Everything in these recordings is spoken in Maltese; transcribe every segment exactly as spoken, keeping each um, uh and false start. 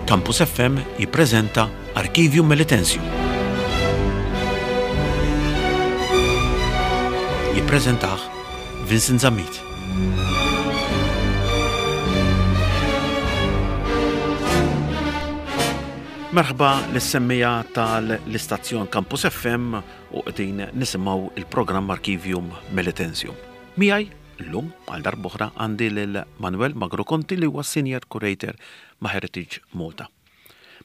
Campus F M jippreżenta Archivium Melitensium. Jippreżentah Vincent Zammit. Merħba lis-semmiegħa tal-istazzjon Campus F M u qegħdin nisimgħu il-programm Archivium Melitensium. Miegħi llum għal darb'oħra għandi lil Manuel Magro Conti, li huwa Senior Curator ma' Heritage Malta.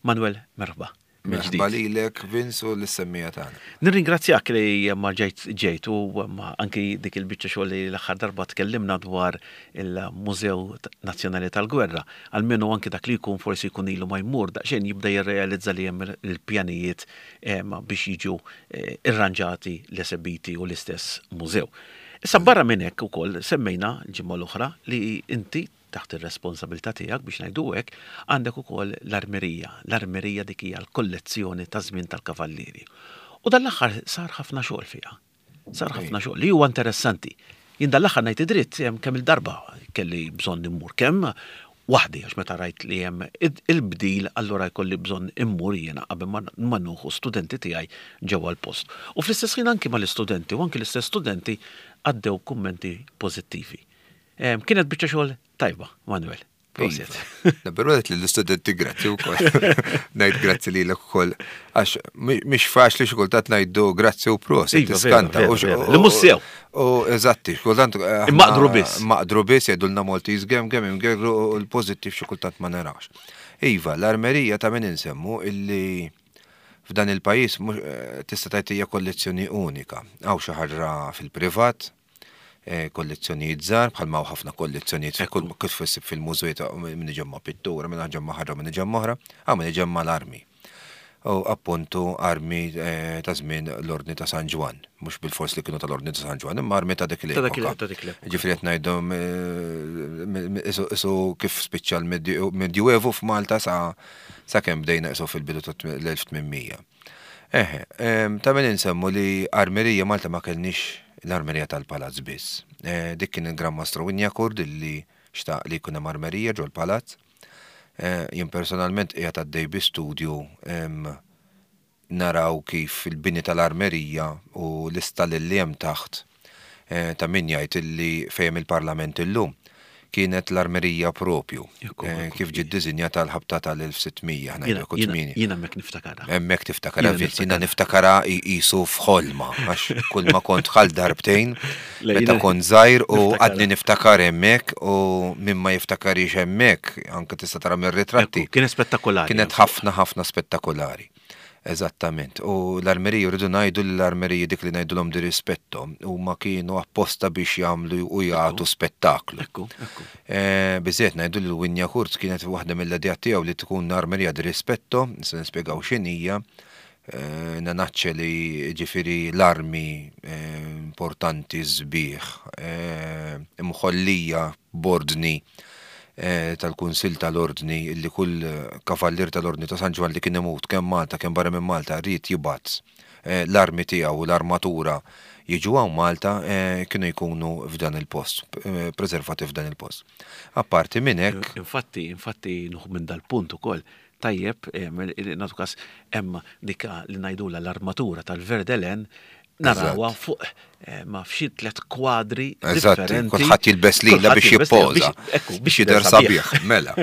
Manuel, merħba. Merħba lilek, Vince, u lis-semmiegħa tagħna. Nirringrazzjak li ma ġejt ġejt u ma anki dik il-biċċa xogħol li l-aħħar darba tkellimna dwar il-Mużew Nazzjonali tal-Gwerra. Almenu anki dak li jkun forsi jkun ilu ma jmur daqsxejn jibda jirrealizza li hemm il-pjanijiet biex jiġu eh, irranġati l-esebiti u l-istess mużew. Issa, barra minn hekk ukoll semmejna l-ġimgħa l-oħra li inti taħt ir-responsabilità tiegħek, biex ngħidu hekk, għandek ukoll l-armerija. L-armerija dik hija l-kollezzjoni ta' żmien tal-kavallieri. U dan l-aħħar sar ħafna xogħol fiha. Sar ħafna xogħol li huwa interessanti. Jien dan l-aħħar, ngħid id-dritt, hemm kemm il-darba kelli bżonn immur kemm waħdi, għax meta rajt li hemm il-bdil, allura jkolli bżonn immur jiena qabel ma nieħu studenti tiegħi ġewwa l-post. U fl-istess ħin anki mal-istudenti, u anki l-istess studenti għaddew kummenti pożittivi. Kienet biċċa xogħol tajba, Manuel. Prosit. Nabberu li l-istudenti grazzi u koll. Ngħid grazzi li l ukoll. Għax mhix faċli xi kultant ngħidu grazzi u prosit. Iva, Tiskanta. Li mhux sew. U eżatti, kultant. Maqdru biss. Maqdru biss, jgħidulna Maltese gem gem imgerru u l-pożittiv xi kultant ma narax. Iva, l-armerija ta' min insemmu illi f'dan il-pajjiż eh, tista' tgħid hija kollezzjoni unika. Hawn xi ħaġa fil-privat, eh, kollezzjonijiet żgħar, bħalma hawn ħafna kollezzjonijiet kull kif issib fil-mużew ta' min iġemma pittura, min ġemma ħaġa, min iġemma oħra, hawn min iġemma l-armi. U appuntu armi eh, ta' żmien l-Ordni ta' San Ġwann, mhux bil-fors li kienu tal-Ordni ta' San Ġwann, imma armi ta' dik Ta' dak il- l-epoka. Ta' dik l-epoka. Ġifieri qed ngħidu isu kif spiċċa l-Medjuevu f'Malta sa sa kemm bdejna isu fil-bidu tal-elf u tmien mija. Eħe, em, ta' min insemmu li armerija Malta ma kellniex l-armerija tal-palazz biss. Eh, Dik kien il-Gran Mastru Wignacourt li xtaq li jkun hemm armerija ġol palazz. Eh, Jien personalment qiegħed għaddej bi studju em, naraw kif il-bini tal-armerija u l-istalli li hemm taħt, eh, ta' min jgħid illi fejn il-Parlament illum kienet l-armerija propju. Ekku, eh, ekku. Kif ġiet dizinjata l-ħabta tal-elf u sitt mija, Jiena- ngħidu Jiena tmieni. jiena hemmhekk niftakarha. Hemmhekk tiftakara, Jiena Vince, jiena niftakara qisu f'ħolma, għax kull ma kont dħalt darbtejn, Le, meta jiena kont żgħir u niftakara. għadni niftakar hemmhekk, u min ma jiftakarix hemmhekk, anke tista' tara mir-ritratti. Ekku, kienet spettakolari. Kienet ħafna ħafna spettakolari. Eżattament. U l-armeriji, rridu ngħidu li l-armeriji dik li ngħidulhom di rispetto, huma kienu apposta biex jagħmlu u jagħtu spettaklu. Ekku, ekku. Eh, Biżżejjed ngħidu li l-Wignacourt kienet waħda mill-idea tiegħu li tkun armerija di rispetto, se nispjegaw x'inhija, eh, nanaċċe li ġifieri l-armi eh, importanti sbieħ, eh, imħollija b'ordni eh, tal-Kunsil tal-Ordni, li kull kavallier tal-Ordni ta' San Ġwann li kien imut kemm Malta kemm barra minn Malta ried jibgħat eh, l-armi tiegħu u l-armatura jiġu hawn Malta, eh, kienu jkunu f'dan il-post, eh, preservati f'dan il-post. Apparti minn hekk, Infatti, infatti, nieħu minn dal-punt ukoll, tajjeb, nagħtu kas hemm dika li ngħidula l-armatura tal-Verdelen, narawha fuq eh, ma f'xi tlet kwadri Eżatti, differenti. kulħadd jilbes lila Kulħadd biex jilbes lila jippoża, biex- ekku, biex jidher sabiħ, mela.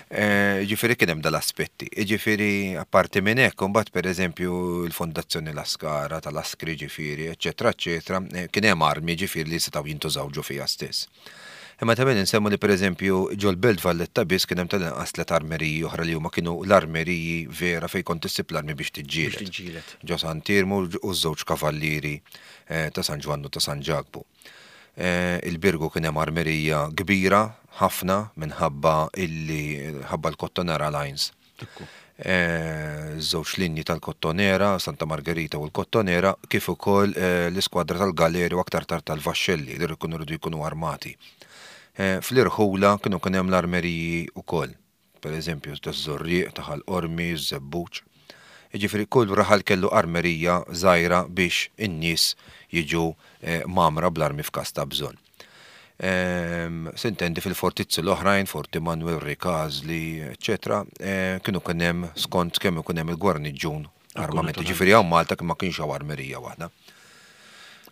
Eh, Ġifieri kien hemm dal-aspetti. Ġifieri apparti minn hekk, imbagħad pereżempju l-Fondazzjoni Lascara tal-Askri ġifieri, eċetera, eċetera, eh, kien hemm armi ġifieri li setgħu jintużaw ġo fiha stess. Imma ta' min insemmu li pereżempju ġol Belt Valletta biss kien hemm tal-inqas tliet armeriji oħra li huma kienu l-armeriji vera fejn kont issib l-armi biex Biex tiġġieled. tiġġieled. Ġo Sant'Iermu u żewġ kavallieri eh, ta' San Ġwann u ta' San Ġakbu. Eh, Il-Birgu kien hemm armerija kbira ħafna minħabba illi ħabba l-Kottonera Lines. Ekku. Eh, Żewġ linji tal-Kottonera, Santa Margherita u l-Kottonera, kif ukoll eh, l-iskwadra tal-Galeri u aktar tard tal-Vaxxelli li jkunu rridu jkunu armati. Eh, Fl-irħula kienu kien hemm l-armeriji ukoll. Per eżempju, taż-Żurrieq, ta' Ħal Qormi, Żebbuġ. Ġifieri kull raħal kellu armerija żgħira biex in-nies jiġu eh, mgħammra bl-armi f'każ ta' bżonn. Ehm, S'intendi fil-fortizzi l-oħrajn, Forti Manuel, Ricasoli, eccetera, kienu kien hemm skont kemm ikun hemm il-gwarniġġun armamenti. Ġifieri hawn Malta ma kienx hawn armerija waħda.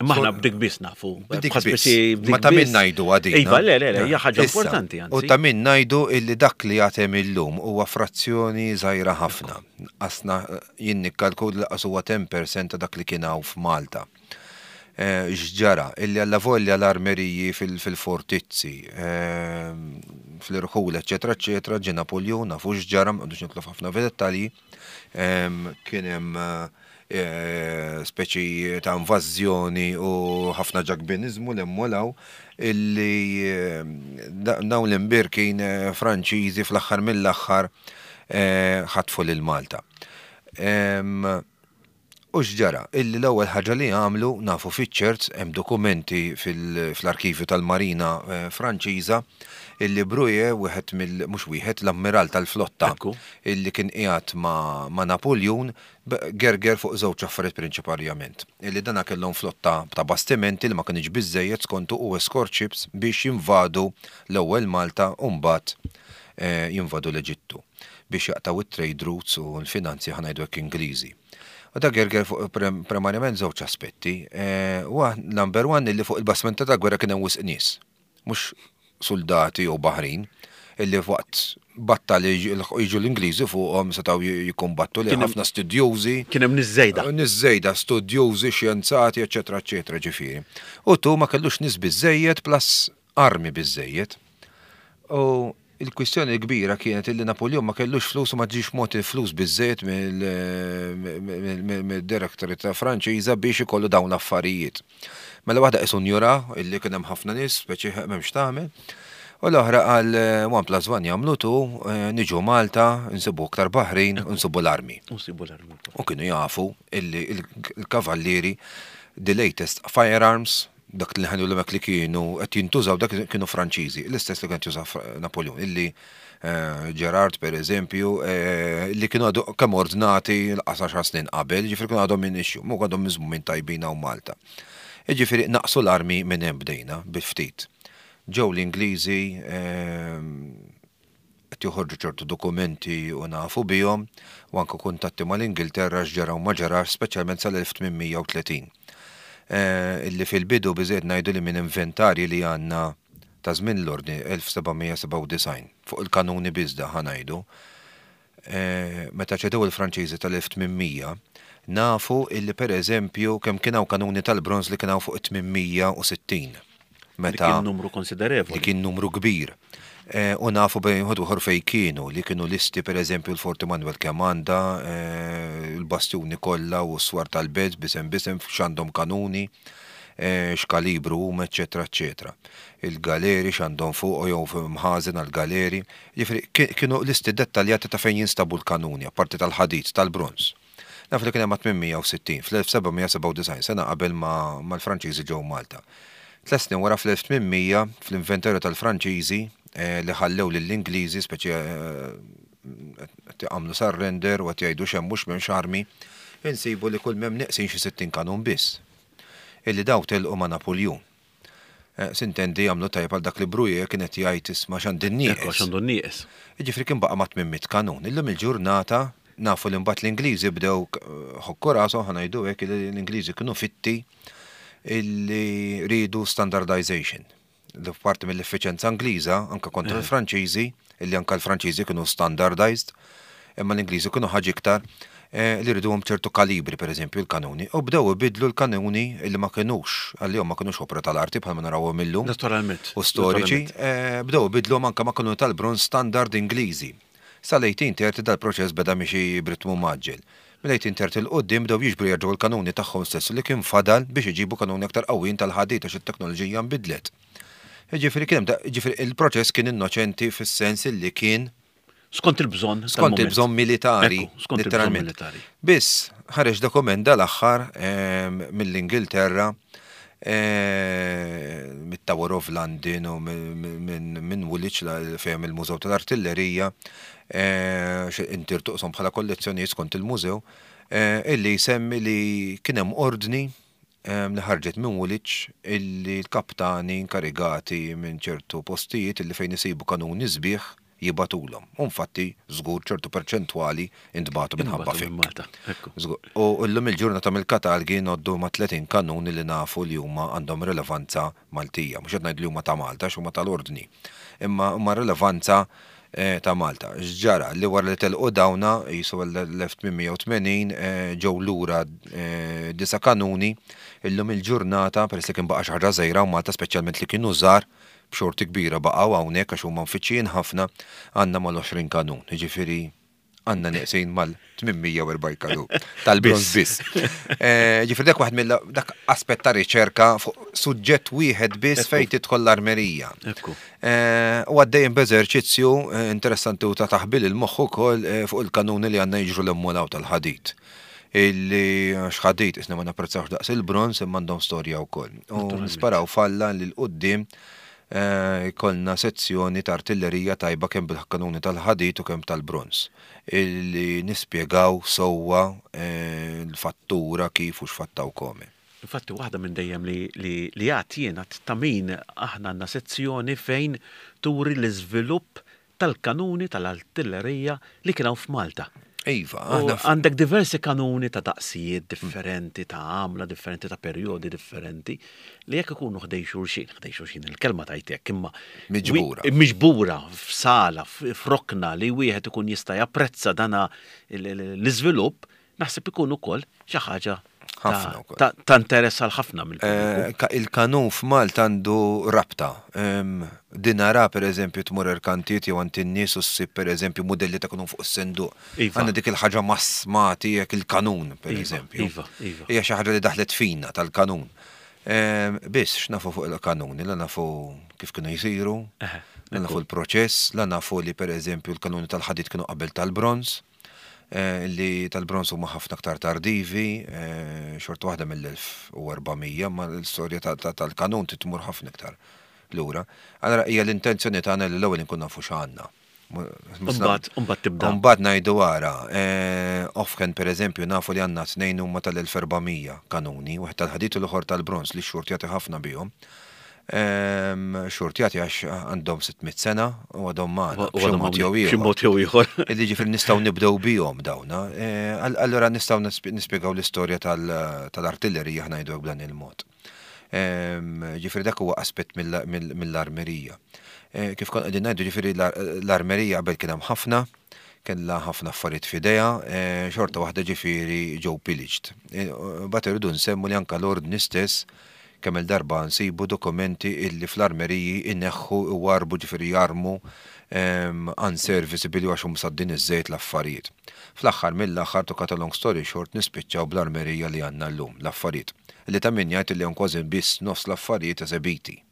Imma aħna b'dik biss nafu. B'dik biss. Ma ta' min ngħidu għadina. Iva, le, le, le, hija ħaġa importanti. U ta' min ngħidu illi dak li għatem illum huwa frazzjoni żgħira ħafna. Asna jien nikkalkula lanqas huwa għaxra fil-mija ta' dak li kien hawn f'Malta. X'ġara, illi alla volja l-armeriji fil-fortizzi, fl-irħul, eccetera, eccetera, ġie Napoleon, nafu x'ġara, ma nidħlux ħafna f'dettalji, kien hemm speċi ta' invażjoni u ħafna ġakbinizmu l-emmolaw illi dawn l-imbierkin Franċiżi fl-aħħar mill-aħħar ħatfu lil Malta. U x'ġara, illi l-ewwel ħaġa li għamlu nafu fiċ-ċert hemm dokumenti fl-arkivju tal-Marina Franċiża illi Brouillet wieħed mill mhux wieħed l-ammiral tal-flotta illi kien qiegħed ma' Napoleon gerger fuq żewġ affarijiet prinċipalment. Illi dana kellhom flotta ta' bastimenti li ma kienx biżejjed skontu u escort ships biex jinvadu l-ewwel Malta u mbagħad jinvadu l-Eġittu biex jaqtaw it-trade routes u l-finanzi, ħa ngħidu hekk, Ingliżi. U da gerger fuq primarjament żewġ aspetti. Number one, illi fuq il-bastimenti ta' gwerra kien hemm wisq nies. Mhux soldati u baħrin, illi waqt battalji jiġu l-Ingliżi fuqhom setgħu jikkumbattu li ħafna studjużi. Kien hemm nies żejda. Nies żejda, studjużi, xjenzati, eċetera, eċetera, ġifieri. U tu ma kellux nies biżejjed plus armi biżejjed. U il-kwistjoni kbira kienet illi Napoleon ma kellux flus u ma ġiex mogħti flus biżejjed mill-directorate ta' Franċiża biex ikollu dawn l-affarijiet. Mela waħda qisu njura illi kien hemm ħafna nies, speċi m'hemmx tagħmel. U l-oħra għal one plus one jagħmlu two, niġu Malta, nsibu aktar baħrin, nsibu l-armi. Nsibu l-armi. U kienu jafu illi il-kavallieri the latest firearms, dak li ħanu l li kienu qed jintużaw dak kienu Franċiżi, l-istess li kien juża Napoleon, illi Gerard per eżempju, li kienu għadu kemm ordnati l-għaxar snin qabel, ġifieri kienu għadhom minn issue, mu għadhom miżmumin tajbin hawn Malta. Ġifieri naqsu l-armi minn hemm bdejna bi ftit. Ġew l-Ingliżi qed joħorġu ċertu dokumenti u nafu bihom u anke kuntatti mal-Ingilterra x'ġara u ma ġarax, speċjalment sal-elf tmien mija u tletin. Illi fil-bidu biżejjed ngħidu li minn inventarji li għandna ta' żmien l-ordni elf seba' mija sebgħa u disgħin fuq il-kanuni biżda ħa ngħidu. Meta ċedew il-Franċiżi tal-elf tmien mija nafu illi per eżempju kemm kien hawn kanuni tal-bronż li kien hawn fuq tmien mija u sittin. Meta kien numru konsiderevoli. Li kien numru kbir. U nafu bejn ħodu fej kienu, li kienu listi per eżempju l-Forti Manuel kemm għandha, il-bastjuni kollha u s-swar tal-belt bisem bisem x'għandhom kanuni, x'kalibru huma, eċetera, eċetera. Il-galeri x'għandhom fuq jew mħażen għal-galeri. Jiġifieri kienu listi dettaljati ta' fejn jinstabu l-kanuni, apparti tal-ħadid, tal-bronż. Naf li kien hemm tmien mija u sittin fl-elf seba' mija sebgħa u disgħin, sena qabel ma l-Franċiżi ġew Malta. Tliet snin wara fl-elf tmien mija fl-inventarju tal-Franċiżi li ħallew lill-Ingliżi speċi għamlu surrender u qed jgħidu x'hemm mhux m'hemmx armi, insibu li kull m'hemm neqsin xi sittin kanun biss. Illi daw telqu ma' Napoleon. S'intendi għamlu tajjeb għal dak li Brouillet kienet jgħid isma' x'għandi nieqes. X'għandu nieqes. Jiġifieri kien baqa' ma' tmien mitt kanun. Illum il-ġurnata nafu li mbagħad l-Ingliżi bdew ħokku rashom, ħa ngħidu hekk, li l-Ingliżi kienu fitti illi ridu standardization. Li parti mill-effiċenza Ingliża, anka kontra l-Franċiżi, illi anka l-Franċiżi kienu standardized, imma l-Ingliżi kienu ħaġa iktar li riduhom ċertu kalibri, per eżempju, l-kanuni, u bdew ibidlu l-kanuni illi ma kienux, għalihom ma kienux opra tal-arti bħalma narawhom illum. Naturalment. U storiċi, bdew ibidlu anka ma' kanuni tal-bronż standard Ingliżi. Sal-elf tmien mija u tletin dal-proċess beda miexi b'ritmu mgħaġġel. Mill-elf tmien mija u tletin 'il quddiem bdew jiġbru jerġgħu l-kanuni tagħhom stess li kien fadal biex iġibu kanuni aktar qawwin tal-ħadid għax it-teknoloġija nbidlet. Jiġifieri kien hemm, jiġifieri il-proċess kien innoċenti fis-sens li kien Skont il-bżonn. Skont il-bżonn militari. Ekku, skont il-bżonn militari. Biss, ħareġ dokument dal-aħħar mill-Ingilterra, mit-Tower of London u minn Woolwich fejn il-Mużew tal-Artillerija, intirtuqsom bħala kollezzjonijiet skont il-mużew, illi jsemmi li kien hemm ordni li ħarġet minn Woolwich illi l-kaptani inkarigati minn ċertu postijiet illi fejn isibu kanuni sbieħ jibagħtulhom. U infatti żgur ċertu perċentwali intbagħtu minħabba Minn fik. Malta. Ekku. Żgur. U llum il-ġurnata mill-katalgi ngħoddu ma' tletin kanuni li nafu li huma għandhom rilevanza Maltija. Mhux qed ngħid li huma ta' Malta, x'huma tal-ordni. Imma huma rilevanza eh, ta' Malta. X'ġara li wara li telqu dawna jisu l-elf tmien mija u tmenin eh, ġew lura eh, disa' kanuni. Illum il-ġurnata, peress li kien baqa' xi ħaġa żgħira u Malta, speċjalment li kienu żgħar, b'xorti kbira baqgħu hawnhekk għax huma mfittxijin ħafna, għandna mal-għoxrin kanun. Jiġifieri għandna neqsin mal-tmien mija u erbgħin kanun tal-bronz biss. Eh, Ġifieri dak waħed mill dak aspett ta' riċerka fuq suġġett wieħed biss fejn tidħol l-armerija. Ekku. Eh, U għaddejjem b'eżerċizzju eh, interessanti u ta' taħbil il-moħħ ukoll eh, fuq il-kanuni li għandna jiġru l-emmolaw tal-ħadid. Illi x'ħadid isna ma napprezzawx daqs il-bronz, imma għandhom storja wkoll. U nisperaw falla li l-qoddim ikollna sezzjoni ta' artillerija tajba kemm bil-kanuni tal-ħadid u kemm tal-bronz. Illi nispjegaw sewwa eh, l-fattura kif u x'fattaw kome. Infatti, waħda minn dejjem li, li, li għat jiena ta' min aħna għandna sezzjoni fejn turi l-iżvilupp tal-kanuni tal-artillerija li kien hawn f'Malta. Iva, U aħna f- għandek diversi kanuni ta' daqsijiet differenti, ta' għamla differenti, ta' periodi differenti, li jekk ikunu ħdejn xulxin, ħdejn xulxin il-kelma tajtek, imma Miġbura. wi- Miġbura f'sala, f'rokna li wieħed ikun jista' japprezza dana l- l- l-iżvilupp, naħseb ikun ukoll xi ħaġa ta' Ħafna wkoll. ta' ta' interess għal ħafna mill-pubbliku. Eh, ka- Il-kanun f'Malta għandu rabta. Em, Dinara, per eżempju, tmur erkantiet jew għand in-nies u ssib, per eżempju, modelli ta' kanun fuq is-senduq. Iva. Għandna dik il-ħaġa massmati jekk il-kanun, per Iva, eżempju. iva, iva. Hija xi ħaġa li daħlet fina tal-kanun. Em, Biss x'nafu fuq il-kanuni, la nafu kif kienu jsiru, Eħe, la nafu l-proċess, la nafu li, per eżempju, l-kanuni tal-ħadid kienu qabel tal-bronz, eh, li tal-bronz huma ħafna aktar tardivi, eh, xorta waħda mill-elf u erba' mija, ma l-istorja ta- ta- tal-kanun titmur ħafna iktar lura. Allora hija l-intenzjoni tagħna li l-ewwel inkun nafu x'għandna. Mbagħad mbagħad tibda. Mbagħad ngħidu wara, eh, offhand, per eżempju, nafu li għandna tnejn huma tal-elf u erba' mija kanuni, wieħed tal-ħadid u l-oħor tal-bronz li xxurtjati ħafna bihom. Ehm, Xurtjati għax għandhom sitt mitt sena u għadhom magħna. U b'xi għadhom mod jew hawnhekk, b'xi ieħor. mod jew ieħor. Illi ġifieri nistgħu nibdew bihom dawna. Eh, all- Allora nistgħu nisp- nispjegaw l-istorja tal- tal-artillerija, ħa ngħidu b'dan il-mod. Ehm, Ġifieri dak huwa aspett mill- mill- mill-armerija. Eh, Kif kon qegħdin ngħidu, ġifieri l- l-armerija qabel kien hemm ħafna, kellha ħafna affarijiet f'idejha, eh, xorta waħda ġifieri ġew pillaged. Eh, Bat irridu nsemmu li anka l-ordni stess kemm il-darba nsibu dokumenti illi fl-armeriji inneħħu u warbu, ġifieri jarmu um, unserviceable għax hum saddin iż-żejt l-affarijiet. Fl-aħħar mill-aħħar, to cut a long story short, nispiċċaw bl-armerija li għandna llum, l-affarijiet. Li ta' min jgħid li hemm kważi biss nofs l-affarijiet esebiti.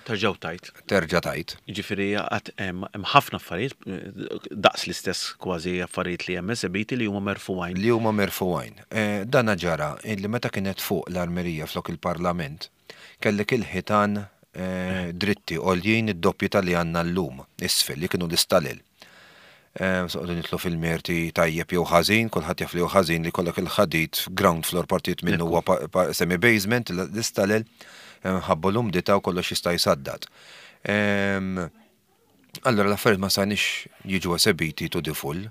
Terġgħu tajt. Terġa' tajt. Ġifieri għad hemm hemm ħafna affarijiet, eh, daqs l-istess kważi affarijiet li hemm esebiti li huma merfugħin. Li huma merfugħin. Eh, Dana ġara illi meta kienet fuq l-armerija flok il-parlament, kellek il-ħitan eh, dritti għoljien id-doppju tal-li għandna llum, isfel, li kienu l-istalel. Eh, Soqdu nitlu fil-merti tajjeb jew ħażin, kulħadd jaf li jew ħażin li kollok il-ħadid ground floor, partijiet minnu huwa pa- pa- semi-basement, l-istalel, eh, ħabbu l-umdità u kollox jista' jsaddad. Em, Allora l-affarijiet ma sanix jiġu esebiti to the full.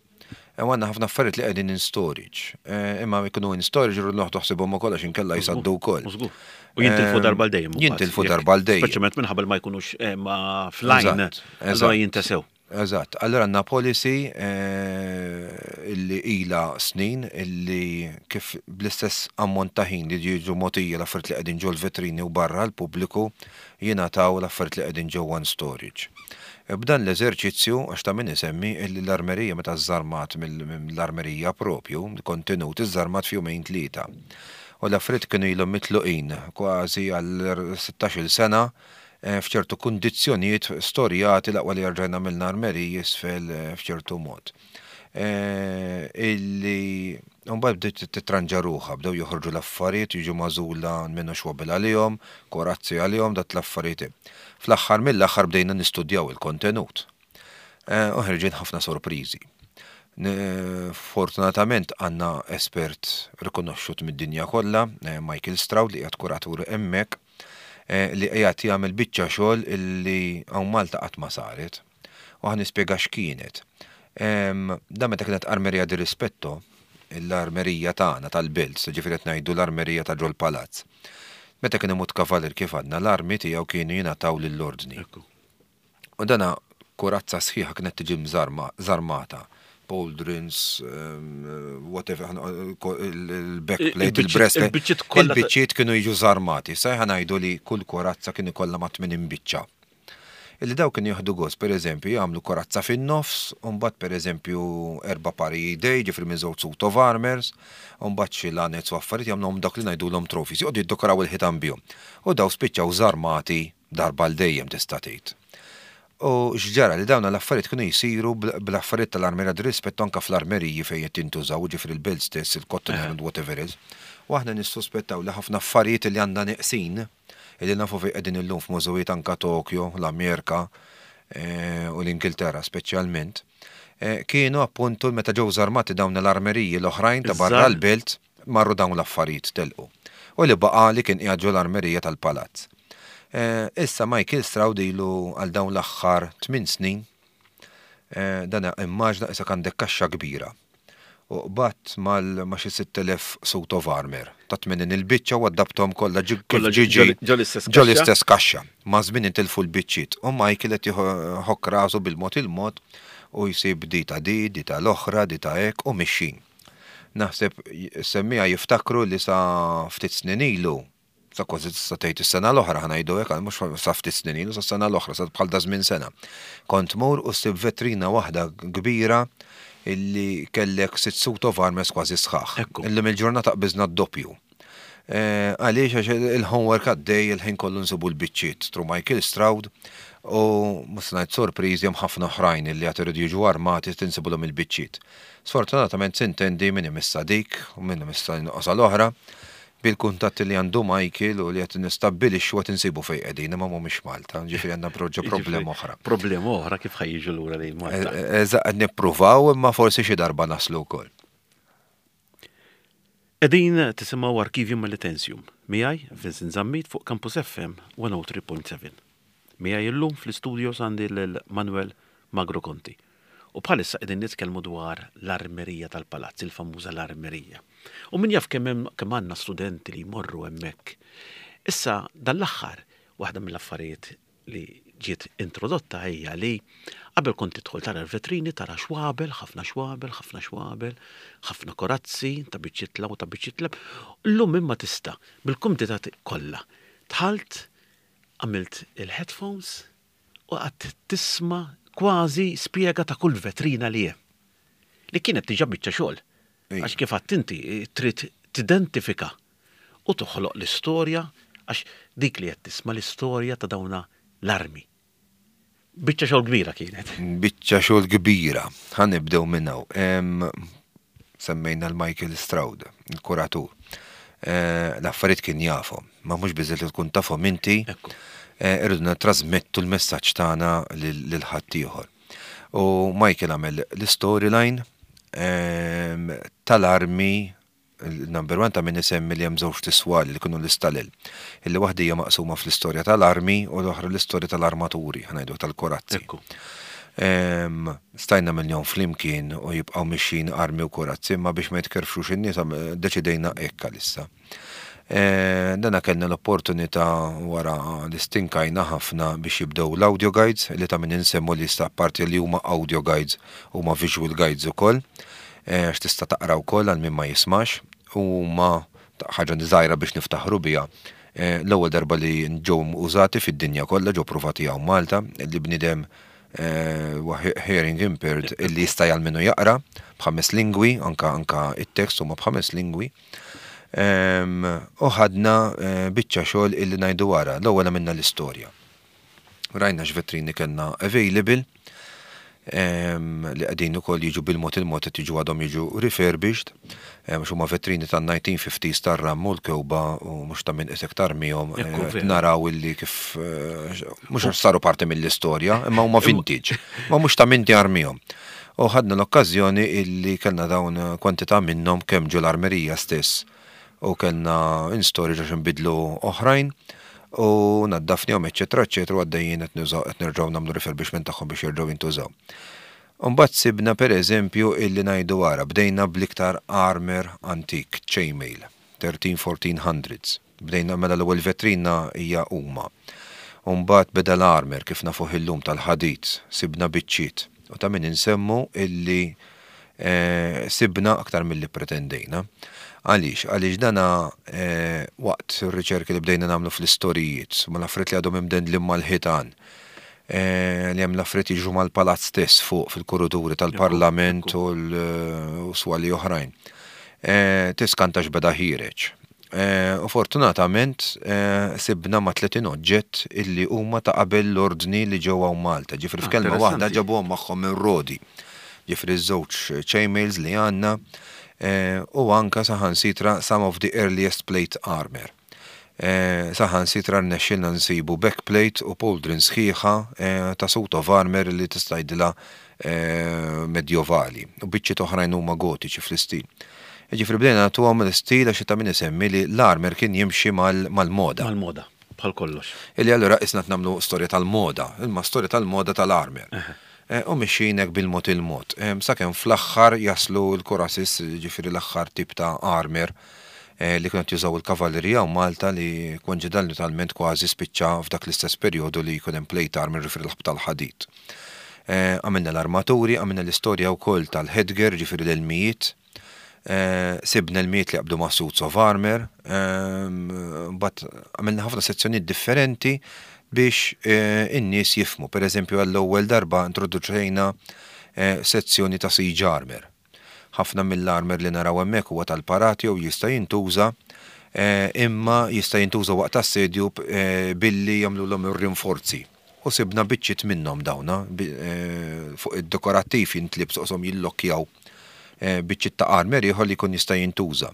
E għandna ħafna affarijiet li qegħdin in storage. Eh, Imma jkunu in storage irridu noħdu ħsibhom ukoll għax inkella jsaddu wkoll. Żgur. U jintilfu Em, darba l dejjem. mbagħad. Jintilfu Jekk- darba l dejjem. Speċjalment minħabba li ma jkunux eh, ma fl-line. Eżatt, Allora eżatt. jintesew. Eżatt. Allora għandna policy eh, illi ila snin illi kif bl-istess ammont ta' ħin li jiġu mogħtija l-affarijiet li qegħdin ġol vetrini u barra l-pubbliku, jingħataw l-affarijiet li qegħdin ġewwa in storage. E b'dan l-eżerċizzju, għax ta' min isemmi illi l-armerija meta żarmat mill-armerija propju, kontenut iżarmat f'jumejn tlieta. U l-affarijiet kienu ilhom mitluqin kważi għal sittax-il sena eh, f'ċertu kundizzjonijiet storjati, l-aqwa li rġajna mill armeriji isfel eh, f'ċertu mod. Eh, Illi mbagħad bdiet titranġa ruħha, bdew joħorġu l-affarijiet, jiġu magħżula minnu xwabel għalihom, korazzi għalihom, dat l-affarijiet. Fl-aħħar mill-aħħar bdejna nistudjaw il-kontenut. Eh, U ħerġin ħafna sorpriżi. Fortunatament għandna espert rikonoxxut mid-dinja kollha, eh, Michael Stroud, li qiegħed kuratur hemmhekk, eh, li qiegħed jagħmel biċċa xogħol illi hawn Malta qatt ma saret. U ħa nispjega x'kienet. Da meta kienet Armeria di Rispetto, l-armerija tagħna tal-belt, ġifieri qed ngħidu l-armerija ta' ġol palazz. Meta kien imut kavalir, kif għadna, l-armi tiegħu kienu jingħataw lill-ordni. U dana kurazza sħiħa kienet tiġi żarmata. Pauldrons, um, whatever, il-backplate, il-breastplate. Il-biċċiet kienu jiġu żarmati. Ħa ngħidu li kull korazza kien ikollha ma' tmenin biċċa. Illi daw kienu jieħdu gost, per eżempju, jagħmlu korazza fin-nofs, u mbagħad, per eżempju, erba' pari idej, ġifieri minn żewġ suit of armors, u mbagħad xi lanez u affarijiet, jagħmluhom dak li ngħidulhom trophies, joqogħdu jiddekoraw il-ħitan bihom. U daw spiċċaw żarmati darba l dejjem, tista' tgħid. U x'ġara, li dawn l-affarijiet kienu jisiru bl-affarijiet tal-Armeria di Rispetto anka fl-armeriji fejn qed jintużaw, ġifieri l-belt stess, il-Cotton and whatever is. U aħna nissuspettaw li ħafna affarijiet li għandna neqsin, illi nafu fejn qegħdin illum f'mużewijiet anka Tokyo, l-Amerika eh, u l-Ingilterra speċjalment, eh, kienu appuntu meta ġew żarmati dawn l-armeriji l-oħrajn ta' barra l-belt, marru dawn l-affarijiet, telqu. U li baqa li kien qiegħed l-armerija tal-palazz. Eh, issa Michael Stroud ilu għal dawn l-aħħar tmien snin, dan immaġna issa għandek kaxxa kbira. U qbadt mal ma xi sitt elef suit of armor ta' tmenin il-biċċa u għaddabtom kollha ġiġi ġo l-istess kaxxa. Ma' żmien intilfu l-biċċiet. U Michael qed jħokk rasu bil-mod il-mod u jsib di ta' di, di ta' l-oħra, di ta' hekk u mixin. Naħseb semmija jiftakru li sa ftit snin ilu, sa kważi sa tgħid is-sena l-oħra, ħa ngħidu hekk, mhux sa ftit snin ilu, sa sena l-oħra, sa bħal da żmien sena. Kont mur u ssib vetrina waħda kbira illi kellek sitt suit of armors kważi sħaħ. Ekku. Illum il-ġurnata qbiżna d-doppju. Eh, Għaliex? Għax il-homework għaddej, il-ħin kollu nsibu l-biċċiet through Michael Stroud u mhux ngħid sorpriżi, hemm ħafna oħrajn illi għad iridu jiġu armati, tinsibulhom il-biċċiet. Sfortunatament sintendi min imissa dik u min imissa nqosa l-oħra, bil-kuntatti li għandu Michael u li qed nistabbilixxu qed insibu fejn qegħdin, imma mhumiex Malta, ġifieri għandna proġa problema oħra. Problema oħra, kif ħa jiġu lura lejn Malta. Eżatt, qed nippruvaw, imma forsi xi darba naslu wkoll. Qegħdin tisimgħu Arkivju Melitensium, miegħi Vincent Zammit fuq Campus F M mija u tlieta punt seba'. Miegħi illum fl-istudio għandi lil Manuel Magro Conti. U bħalissa qegħdin nitkellmu dwar l-armerija tal-palazz, il-famuża l-armerija. U min jaf kemm hemm- kemm għandna studenti li jmorru hemmhekk. Issa dal-aħħar waħda mill-affarijiet li ġiet introdotta hija li qabel kont tidħol tara l-vetrini, tara xwabel, ħafna xwabel, ħafna xwabel, ħafna korazzi, ta' biċċitla u ta' biċċitla. Illum imma tista' bil-kumdità kollha. Dħalt, għamilt il-headphones u qgħadt tisma' kważi spjega ta' kull vetrina li hemm. Li kienet diġà biċċa xogħol. Ej. Għax kif għedt inti trid tidentifika u toħloq l-istorja, għax dik li qed tisma' l-istorja ta' dawna l-armi. Biċċa xogħol kbira kienet. Biċċa xogħol kbira. Ħa nibdew minn hawn. Em, Semmejna l-Michael Stroud, il-kuratur. Eh, L-affarijiet kien jafhom, ma mhux biżżejjed li tkun tafhom inti. Ekku. eh, Irridu nittrasmettu l-messaġġ tagħna lil lil ħaddieħor. U Michael għamel l-storyline em, tal-armi. Il-number one ta' min isemmi li hemm żewġ tiswali li kienu l-istalel. Illi waħda hija maqsuma fl-istorja tal-armi u l-oħra l-istorja tal-armaturi, ħa ngħidu tal-korazzi. Ekku. Em, Stajna miljon flimkien u jibqaw mixin armi u korazzi, imma biex ma jitkerfxux in-nies għam- deċidejna hekk għalissa. Eh, Dana kellna l-opportunità wara li stinkajna ħafna biex jibdew l-audio guides, li ta' min insemmu li sta' parti li huma audio guides huma visual guides ukoll, eh, għax tista' taqra wkoll għal min ma jismax, u ma ħaġa żgħira biex niftaħru biha. Eh, L-ewwel darba li ġew użati fid-dinja kollha, ġew provati hawn Malta, li bniedem eh, huwa hearing impaired illi jista' jgħalmenu jaqra b'ħames lingwi, anka anka it-tekst huma b'ħames lingwi. Em, U ħadna eh, biċċa xogħol illi ngħidu wara, l-ewwel għamilna l-istorja. Rajna x'vetrini kellna available em, li qegħdin ukoll jiġu bil-mod il-mod qed jiġu, għadhom jiġu refurbished, em, għax huma vetrini tan-elf disa' mija u ħamsina tar-ram u l-kewba u mhux ta' min qisek tarmihom, Ekku, eh, vera. naraw illi kif eh, mhux għax saru parti mill-istorja, imma huma vintage, ma mhux ta' min jarmihom. U ħadna l-okkażjoni illi kellna dawn kwantità minnhom kemm ġo l-armerija stess u kellna in storage għax nbidlu oħrajn u naddafnihom, eċetera, eċetera, u għaddejjin qed nużaw, qed nerġgħu nagħmlu refurbishment tagħhom biex jerġgħu jintużaw. Mbagħad sibna, per eżempju, illi ngħidu wara bdejna bl-iktar armor antik, chainmail, tlettax fourteen hundreds. Bdejna mela l-ewwel vetrina hija huma. Mbagħad beda l-armor kif nafuh illum tal-ħadid, sibna biċċiet. U ta' min insemmu illi eh, sibna aktar milli pretendejna. Għaliex? Għaliex dana eh, waqt ir-riċerki li bdejna nagħmlu fl-istorijiet, ma l-affarijiet li għadhom imdendlin mal-ħitan, eh, li hemm l-affarijiet jiġu mal-palazz stess fuq fil-kuruturi tal-parlament u l-swali oħrajn. Eh, Tiskanta x'beda ħiereġ. Eh, U fortunatament eh, sibna ma' tletin oġġett illi huma ta' qabel l-ordni li ġew hawn Malta. Ġifieri Ah, f'kelma waħda interessanti. ġabuhom magħhom minn Rodi. Ġifieri żewġ chainmails li għandna eh, u anka saħansitra some of the earliest plate armor. Eh, Saħansitra rnexxilna nsibu backplate u pauldron sħiħa eh, ta' suit of armor li tista' tgħidilha eh, medjovali u biċċiet oħrajn huma gotiċi fl-istil. Ġifieri bdejna nagħtuhom l-istil għax ta' min isemmi li l-armor kien jimxi mal- mal-moda. Mal-moda, bħal kollox. Illi allura isna nagħmlu storja tal-moda, imma storja tal-moda tal-armor. Eh, U mixjinek bil-mod il-mod. Em, Sakemm fl-aħħar jaslu l-cuirasses, ġifieri l-aħħar tip ta' armor eh, li kienu jużaw il-kavallerija u Malta li koinċidentalment kważi spiċċa f'dak l-istess perjodu li jkun hemm plate armor, ġifieri l-ħab tal-ħadid. Eh, Għamilna l-armaturi, għamilna l-istorja wkoll tal-headgear, ġifieri l-elmijiet, Eh, sibna l-miet li qabdu ma' suits of armor, ehm, but għamilna ħafna sezzjonijiet differenti biex eh, in-nies jifhmu. Per eżempju, għall-ewwel darba introduċejna eh, sezzjoni ta' siege armor. Ħafna mill-armor li naraw hemmhekk huwa tal-parati u jista' jintuża, eh, imma jista' jintuża waqt assedju eh, billi jagħmluhom ir-rinforzi. U sibna biċċiet minnhom dawna bi- eh, fuq id-dekorattiv jintlibsu qishom jillokkjaw eh, biċċiet ta' armor ieħor li jkun jista' jintuża.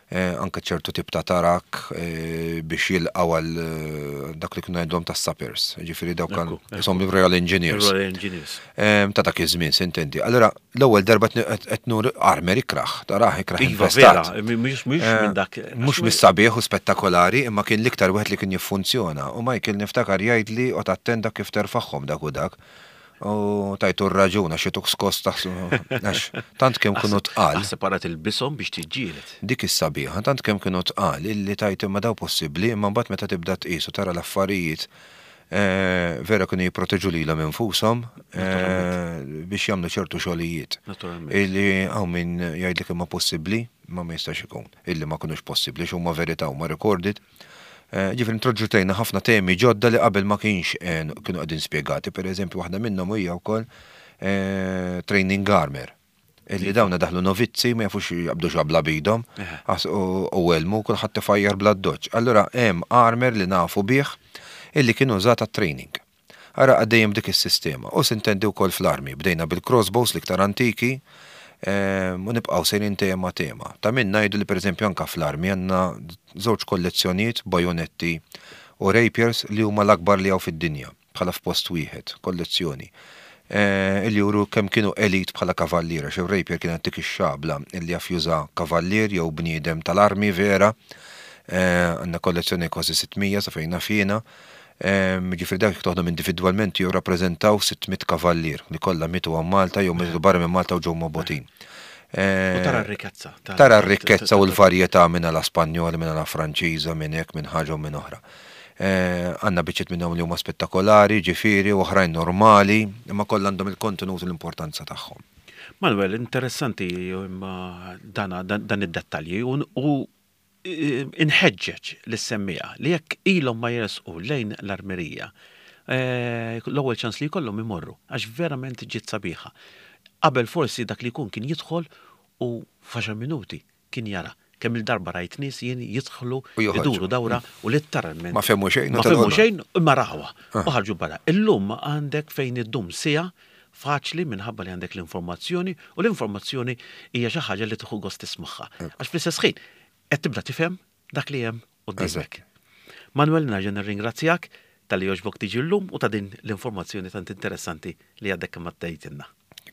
Eh, Anke ċertu tip ta' tarak eh, biex jilqgħu għal eh, dak li kienu għandhom ta' sappers. Ġifieri dawk kan Ekku, ekku. isom Royal Engineers. Royal Engineers. Em, Ta' dak iż-żmien, s'intendi. Allora, l-ewwel darba qed nur armor ikraħ, taraħ ikraħ Iva, infestat. vera, mhux mhux Eh, minn dak. Mhux mis-sabiħ u spettakolari, imma kien l-iktar wieħed li kien jiffunzjona. U Michael niftakar jgħidli u tattenda kif terfaħħom dak u dak. U tajtu r-raġuna xi tuk skoss taħsu. Għax tant kemm kienu tqal. Separat il-bisom biex tiġġieled. Dik is-sabiħa, tant kemm kienu tqal illi tajt imma daw possibbli, imma mbagħad meta tibda tqis u tara l-affarijiet eh, vera kienu jipproteġu lilhom infushom eh, biex jagħmlu ċertu xogħlijiet. Naturalment. Illi hawn min jgħidlek imma possibbli, ma ma jistax ikun. Illi ma kinux possibbli, x'huma verità, huma recorded. Eh, Ġifieri introduċejna ħafna temi ġodda li qabel ma kienx eh, kienu qegħdin spjegati. Per eżempju, waħda minnhom hija wkoll eh, training armor. Illi dawna daħlu novizzi, ma jafux jaqbdu xabla bidhom Eħe. Għas- u u elmu kulħadd tifajjar bla doċ. Allura hemm armor li nafu bih illi kienu użata training. Ara għaddejjem dik is-sistema. U s'intendi wkoll fl-armi. Bdejna bil-crossbows l-iktar antiki em, u nibqgħu sejrin tema tema. Ta' min ngħidu li, pereżempju, anka fl-armi għandna żewġ kollezzjonijiet, bajonetti u rapiers, li huma l-akbar li hawn fid-dinja bħala f'post wieħed, kollezzjoni. Eh, Illi juru kemm kienu elit bħala kavalliera, xi rapier kienet dik ix-xabla illi jaf juża kavallier jew bniedem tal-armi vera. Eh, Għandna kollezzjoni kważi sitt mija sa fejn naf jiena. Ġifieri dak toħdom individwalment jew rappreżentaw sitt mitt kavallier li kollha mietu hawn Malta jew mietu barra minn Malta u ġew mobogħdin. U tara r-rikkezza. Tara r-rikkezza u l-varjetà, minn la Spanjola, minn la Franċiża, minn hekk, minn ħaġa u minn oħra. Eh, Għandna biċċiet minnhom li huma spettakolari, ġifieri, u oħrajn normali, imma kollha għandhom il-kontenut u l-importanza tagħhom. Manuel, interessanti imma dana, dan, dan id-dettalji u, u eh, inħeġġeġ lis-semmiegħa li jekk ilhom ma jersqu lejn l-armerija, eh, l-ewwel ċans li jkollhom imorru, għax verament ġiet sabiħa. Qabel forsi dak li jkun kien jidħol u f'għaxar minuti kien jara. Kemm il-darba rajt nies jien jidħlu U joħorġu. iduru dawra u letteralment Ma fehmu xejn, Ma u telqu. fehmu xejn imma rawha Ah. u ħarġu barra. Illum għandek fejn iddum siegħa faċli minħabba li għandek l-informazzjoni, u l-informazzjoni hija xi ħaġa li tieħu gost tismagħha. Għax fl-istess ħin qed tibda tifhem dak li hemm quddiemek. Manuel, nerġa' nirringrazzjak talli għoġbok tiġi llum u ta' din l-informazzjoni tant interessanti li għadek kemm għaddejtilna.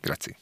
Grazzi.